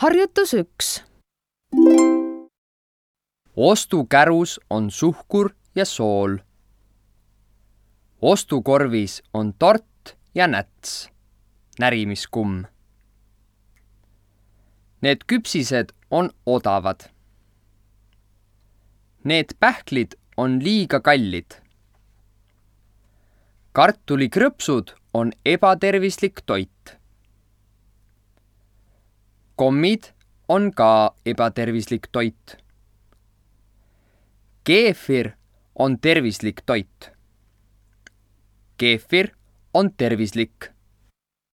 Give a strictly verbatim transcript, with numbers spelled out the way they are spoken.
Harjutus üks. Ostukärus on suhkur ja sool. Ostukorvis on tort ja näts, närimiskumm. Need küpsised on odavad. Need pähklid on liiga kallid. Kartulikrõpsud on ebatervislik toit. Kommid on ka ebatervislik toit. Keefir on tervislik toit. Keefir on tervislik.